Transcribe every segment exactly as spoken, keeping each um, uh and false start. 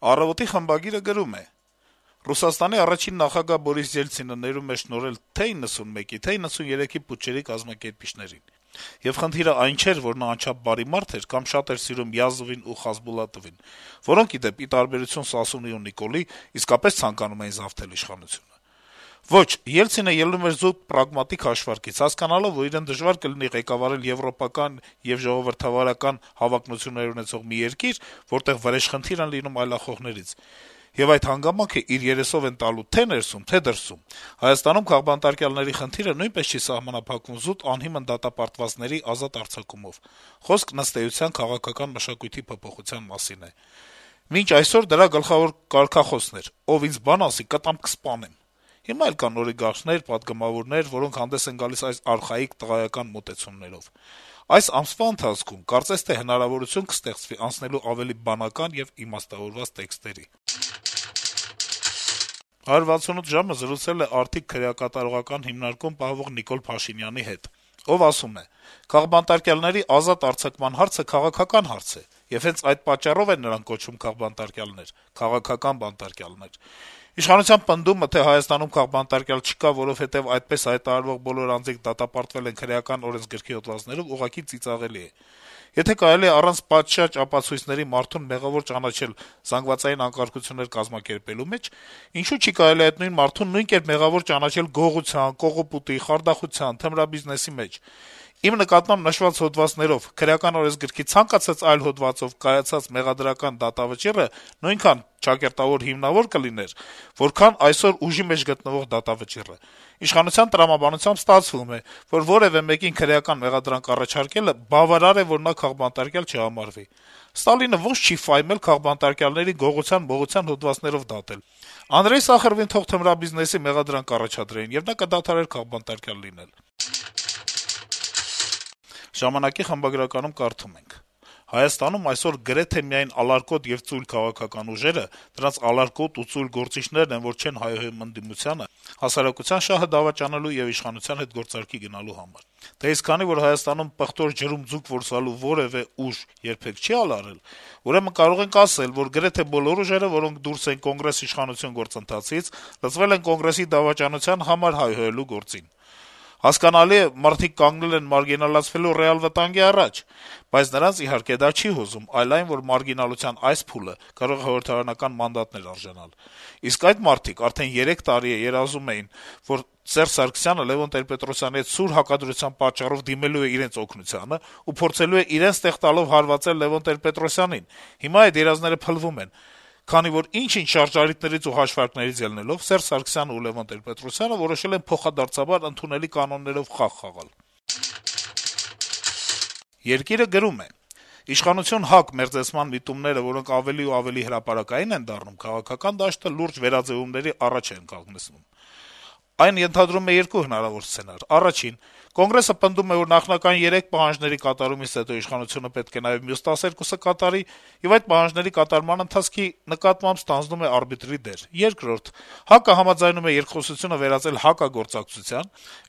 «Առավոտ»-ի խմբագիրը գրում է. - «Ռուսաստանի առաջին նախագահ Բորիս Ելցինը ներում է շնորհել թե իննսունմեկի, թե իննսուներեքի պուչերի կազմակերպիչներին: Եվ խնդիրը այն չէր, որ նա անչափ բարի մարդ էր կամ շատ էր սիրում Յազովին ու Խասբուլատովին, որոնք, ի դեպ, ի տարբերություն Սասունի ու Նիկոլի, իսկապես ցանկանում էին զավթել իշխանությունը: Ոչ, Ելցինը ելնում էր զուտ պրագմատիկ հաշվարկից, հասկանալով, որ իրեն դժվար կլինի ղեկավարել եվրոպական եւ ժողովրդավարական հավակնություններ ունեցող մի երկիր, որտեղ վրեժխնդիր են լինում այլախոհներից: Եվ այդ հանգամանքը իր երեսով են տալու թե' ներսում, թե' դրսում: Հայաստանում քաղբանտարկյալների խնդիրը նույնպես չի սահմանափակվում զուտ անհիմն դատապարտվածների ազատ արձակումով: Խոսքն, ըստ էության, քաղաքական մշակույթի փոփոխության մասին է: Մինչ այսօր դրա գլխավոր կարգախոսն էր` ով ինձ բան ասի, կտամ կսպանեմ: Հիմա էլ կան օլիգարխներ, պատգամավորներ, որոնք հանդես են գալիս այս արխայիկ տղայական մոտեցումներով: Այս ամսվա ընթացքում կարծես թե հնարավորություն կստեղծվի անցնելու ավելի բանական եւ իմաստավորված տեքստերի»: «հարյուր վաթսունութ ժամ»-ը զրուցել է արդիկ քրեակատարողական հիմնարկում պահվող Նիկոլ Փաշինյանի հետ: Ով ասում է. - «Քաղբանտարկյալների ազատ արձակման հարցը քաղաքական հարց է, եւ հենց այդ պատճառով են նրանք կոչվում քաղբանտարկյալներ, քաղաքական բանտարկյալներ: Իշխանության պնդումը, թե Հայաստանում քաղբանտարկյալ չկա, որովհետեւ այդպես հայտարարվող բոլոր անձինք դատապարտվել են քրեական օրենսգրքի հոդվածներով, ուղղակի ծիծաղելի է: Եթե կարելի է առանց պատշաճ ապացույցների մարդուն մեղավոր ճանաչել զանգվածային անկարգություններ կազմակերպելու մեջ, ինչո՞ւ չի կարելի այդ նույն մարդուն նույն կերպ մեղավոր ճանաչել գողության, կողոպուտի, խարդախության, թմրաբիզնեսի մեջ: Իմ նկատմամբ նշված հոդվածներով քրեական օրենսգրքի ցանկացած այլ հոդվածով կայացած մեղադրական դատավճիռը նույնքան ճակերտավոր հիմնավոր կլիներ, որքան այսօր ուժի մեջ գտնվող դատավճիռը: Իշխանության տրամաբանությամբ ստացվում է, որ որեւէ մեկին քրեական մեղադրանք առաջարկելը բավարար է, որ նա քաղբանտարկյալ չհամարվի: Ստալինը ոնց չի ֆայմել քաղբանտարկյալներին գողության-մողության հոդվածներով դատել: Անդրեյ Սախարովին թող թմրաբիզնեսի մեղադրանք առաջադրեին, եւ նա կդադարեր քաղբանտարկյալ լինել»: «Ժամանակ»-ի խմբագրականում կարդում ենք. - «Հայաստանում այսօր գրեթե միայն ալարկոտ եւ ծույլ քաղաքական ուժերը, դրանց ալարկոտ ու ծույլ գործիչներն են, որ չեն հայհոյում ընդդիմությանը, հասարակության շահը դավաճանելու եւ իշխանության հետ գործարքի գնալու համար: Դե իսկ քանի որ Հայաստանում պղտոր ջրում ձուկ որսալու որեւէ ուժ երբեք չի ալարել, ուրեմն կարող ենք ասել, որ գրեթե բոլոր ուժերը, որոնք դուրս են Կոնգրես-իշխանություն գործընթացից, լծվել են Կոնգրեսի դավաճանության համար հայհոյելու գործին: Հասկանալի է, մարդիկ կանգնել են մարգինալացվելու ռեալ վտանգի առաջ, բայց նրանց, իհարկե, դա չի հուզում, այլ այն, որ մարգինալության այս փուլը կարող է խորհրդարանական մանդատներ արժանալ: Իսկ այդ մարդիկ արդեն երեք տարի է երազում էին, որ Սերժ Սարգսյանը Լեւոն Տեր-Պետրոսյանի հետ սուր հակադրության պատճառով դիմելու է իրենց օգնությանը ու փորձելու է իրենց տեղ տալով հարվածել Լեւոն Տեր-Պետրոսյանին: Հիմա այդ երազները փլվում են, քանի որ ինչ-ինչ շարժառիթներից ու հաշվարկներից ելնելով, Սերժ Սարգսյանն ու Լեւոն Տեր-Պետրոսյանը որոշել են փոխադարձաբար ընդունելի կանոններով խաղ խաղալ»: «Երկիր»-ը գրում է. - «Իշխանություն-ՀԱԿ մերձեցման միտումները, որոնք ավելի ու ավելի հրապարակային են դառնում, քաղաքական դաշտը լուրջ վերաձեւումների առաջ են կանգնեցնում: Այն ենթադրում է երկու հնարավոր սցենար. Առաջին. Կոնգրեսը պնդում է, որ նախնական երեք պահանջների կատարումից հետո իշխանությունը պետք է նաեւ մյուս տասներկուսը կատարի, եւ այդ պահանջների կատարման ընթացքի նկատմամբ ստանձնում է արբիտրի դեր: Երկրորդ. ՀԱԿ-ը համաձայնում է երկխոսությունը վերածել հակագործակցության,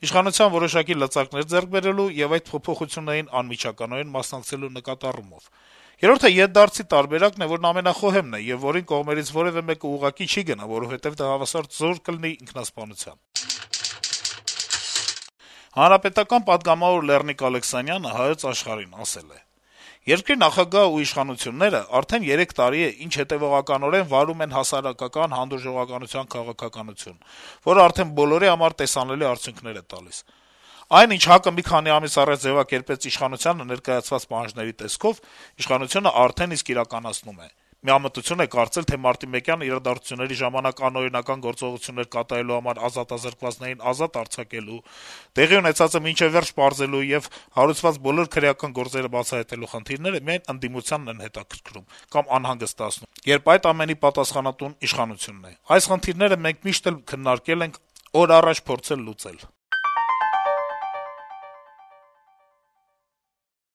իշխանության որոշակի լծակներ ձեռք բերելու եւ այդ փոփոխություններին անմիջականորեն մասնակցելու նկատառումով: Երրորդը ետդարձի տարբերակն է, որն ամենախոհեմն է եւ որին կողմերից որեւէ մեկը ուղղակի չի գնա, որովհետեւ դա հավասար զոր կլինի ինքնասպանության»: Հանրապետական պատգամավոր Լեռնիկ Ալեքսանյանը «Հայոց Աշխարհ»-ին ասել է. - «Երկրի նախագահն ու իշխանությունները արդեն երեք տարի է, ինչ հետեւողականորեն վարում են հասարակական հանդուրժողականության քաղաքականություն, որը արդեն բոլորի համար տեսանելի արդյունքներ է տալիս: Այն, ինչ ՀԱԿ-ը մի քանի ամիս առաջ ձեւակերպեց իշխանությանը ներկայացված պահանջների տեսքով, իշխանությունը արդեն իսկ իրականացնում է: Միամտություն է կարծել, թե մարտի-մեկյան իրադարձությունների ժամանակ անօրինական գործողություններ կատարելու համար ազատազրկվածներին ազատ արձակելու, տեղի ունեցածը մինչեւ վերջ պարզելու եւ հարուցված բոլոր քրեական գործերը բացահայտելու խնդիրները միայն ընդդիմությանն են հետաքրքրում կամ անհանգստացնում, երբ այդ ամենի պատասխանատուն իշխանությունն է: Այս խնդիրները մենք միշտ էլ քննարկել ենք, օր առաջ փորձել լուծել»: